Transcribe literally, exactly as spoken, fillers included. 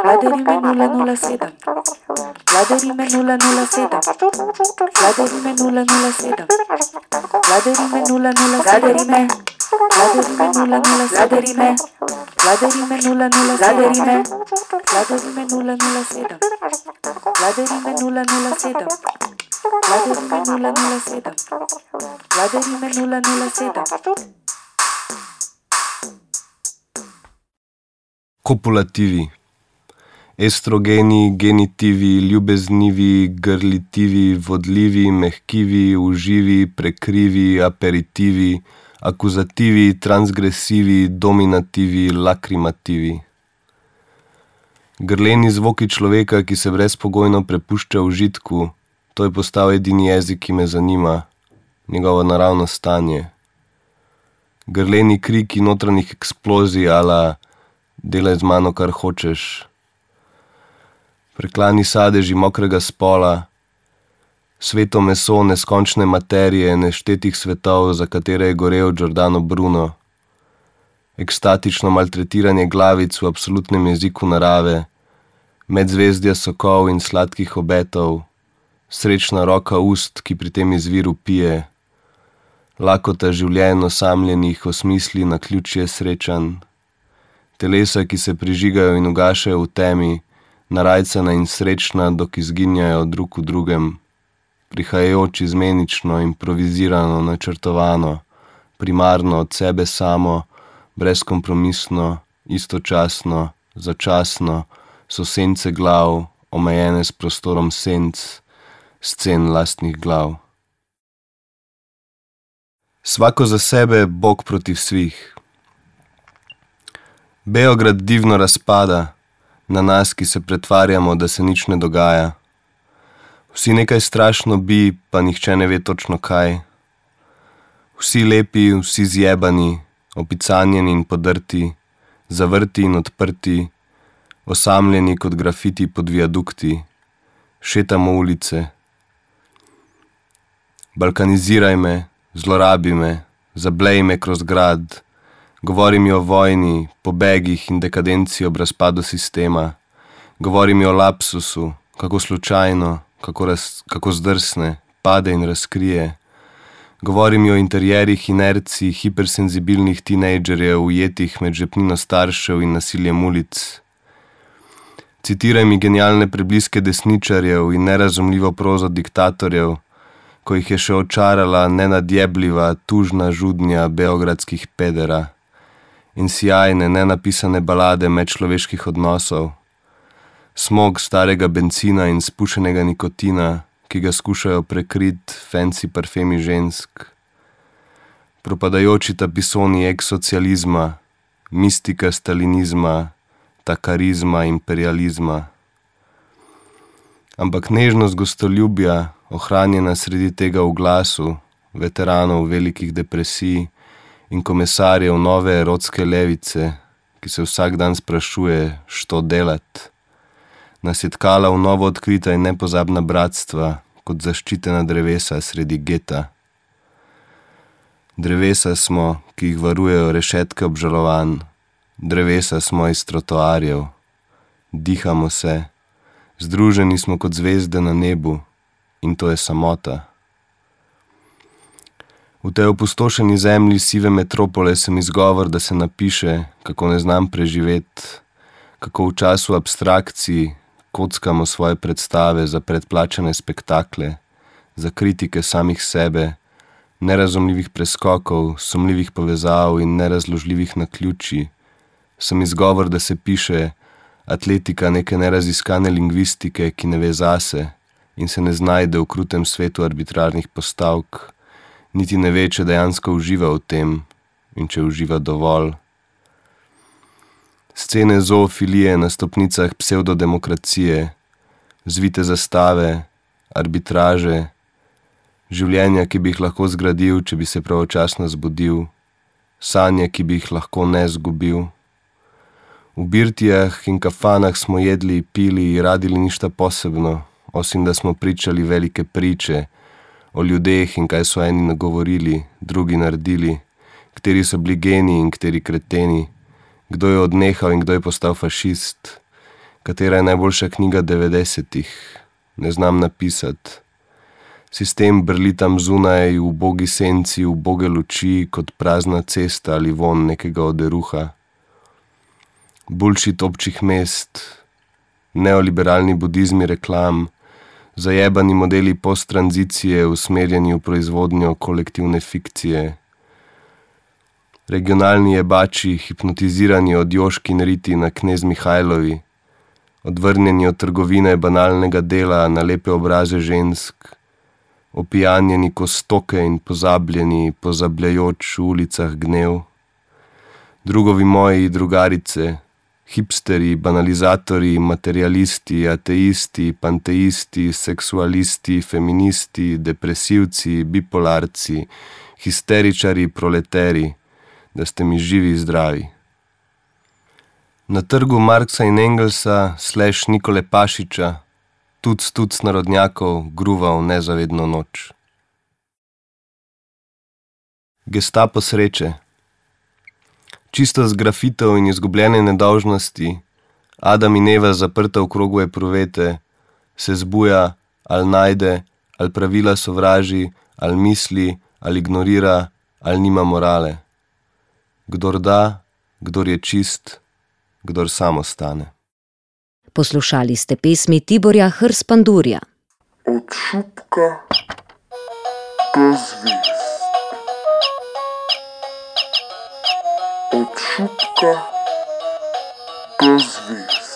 Vladarime nula nula sedem. Vladarime nula nula sedem. Vladarime nula nula sedem. Vladarime nula nula Vladarime. Vladarime nula nula Vladarime. Vladarime nula nula Vladarime. Vladarime nula nula sedem. Vladarime nula nula sedem. Vladarime nula nula sedem. Vladarime nula nula sedem. Kopulativi. Estrogeni, genitivi, ljubeznivi, grlitivi, vodljivi, mehkivi, uživi, prekrivi, aperitivi, akuzativi, transgresivi, dominativi, lakrimativi. Grleni zvoki človeka, ki se brezpogojno prepušča užitku, to je postal edini jezik, ki me zanima, njegovo naravno stanje. Grleni kriki notranjih eksplozij ala delaj z mano, kar hočeš. Preklani sadeži mokrega spola, sveto meso neskončne materije neštetih svetov, za katere je gorel Giordano Bruno. Ekstatično maltretiranje glavic v absolutnem jeziku narave, medzvezdja sokov in sladkih obetov, srečna roka ust, ki pri tem izviru pije, lakota življenj osamljenih osmisli na ključje srečan, telesa, ki se prižigajo in ugašajo v temi, narajcana in srečna, dok izginjajo drug v drugem, prihajajoč izmenično, improvizirano, načrtovano, primarno od sebe samo, brezkompromisno, istočasno, začasno, so sence glav, omejene s prostorom senc, scen lastnih glav. Svako za sebe, Bog protiv svih. Beograd divno razpada, na nas, ki se pretvarjamo, da se nič ne dogaja. Vsi nekaj strašno bi, pa nihče ne ve točno kaj. Vsi lepi, vsi zjebani, opicanjeni in podrti, zavrti in odprti, osamljeni kot grafiti pod viadukti, šetamo ulice. Balkaniziraj me, zlorabi me, zablej me kroz grad, govori mi o vojni, pobegih in dekadenci ob razpadu sistema, govori mi o lapsusu, kako slučajno, kako, raz, kako zdrsne, pade in razkrije, govori mi o interjerih inercij hipersenzibilnih tinejdžerjev ujetih med žepnino staršev in nasiljem ulic. Citiraj mi genialne prebliske desničarjev in nerazumljivo prozo diktatorjev, ko jih je še očarala nenadjebljiva, tužna žudnja beogradskih pedera in sjajne, nenapisane balade medčloveških odnosov, smog starega bencina in spušenega nikotina, ki ga skušajo prekrit fancy parfemi žensk, propadajoči tapisoni ex-socializma, mistika stalinizma, ta karizma imperializma. Ampak nežnost gostoljubja, ohranjena sredi tega v glasu, veteranov velikih depresij in komisarjev nove erotske levice, ki se vsak dan sprašuje, što delat, nas je tkala v novo odkrita in nepozabna bratstva, kot zaščitena drevesa sredi geta. Drevesa smo, ki jih varujejo rešetke obžalovanj, drevesa smo iz trotoarjev, dihamo se, združeni smo kot zvezde na nebu in to je samota. V tej opustošeni zemlji sive metropole sem izgovor, da se napiše, kako ne znam preživeti, kako v času abstrakcij kockamo svoje predstave za predplačane spektakle, za kritike samih sebe, nerazumljivih preskokov, sumljivih povezav in nerazložljivih naključij. Sem izgovor, da se piše atletika neke neraziskane lingvistike, ki ne ve zase in se ne znajde v krutem svetu arbitrarnih postavk, niti ne ve, če dejansko uživa v tem in če uživa dovolj. Scene zoofilije na stopnicah psevdodemokracije, zvite zastave, arbitraže, življenja, ki bi jih lahko zgradil, če bi se pravočasno zbudil, sanje, ki bi jih lahko ne zgubil. V birtijah in kafanah smo jedli, pili in radili ništa posebno, osim da smo pričali velike priče o ljudeh in kaj so eni nagovorili, drugi naredili, kateri so bili geni in kateri kreteni, kdo je odnehal in kdo je postal fašist, Katera je najboljša knjiga devetdesetih? Ne znam napisati. Sistem brli tam zunaj, v ubogi senci, v uboge luči, kot prazna cesta ali von nekega oderuha. Bullshit občih mest, neoliberalni budizmi reklam, zajebani modeli posttranzicije usmerjeni v proizvodnjo kolektivne fikcije, regionalni jebači, hipnotizirani od Joškin riti na Knez Mihajlovi, odvrnjeni od trgovine banalnega dela na lepe obraze žensk, opijanjeni ko stoke in pozabljeni, pozabljajoč v ulicah gnev, drugovi moji drugarice, hipsteri, banalizatori, materialisti, ateisti, panteisti, seksualisti, feministi, depresivci, bipolarci, histeričari, proleteri, da ste mi živi zdravi. Na trgu Marksa in Engelsa slash Nikole Pašiča, tuc tuc narodnjakov, gruval nezavedno noč. Gestapo sreče. Čisto z grafitov in izgubljene nedolžnosti, Adam in Eva zaprta v krogu epruvete, se zbuja, ali najde, ali pravila sovraži, ali misli, ali ignorira, ali nima morale. Kdor da, kdor je čist, kdor samo stane. Poslušali ste pesmi Tiborja Hrs-Pandurja. Od šupka do zvezd. Od šupka do zvezd.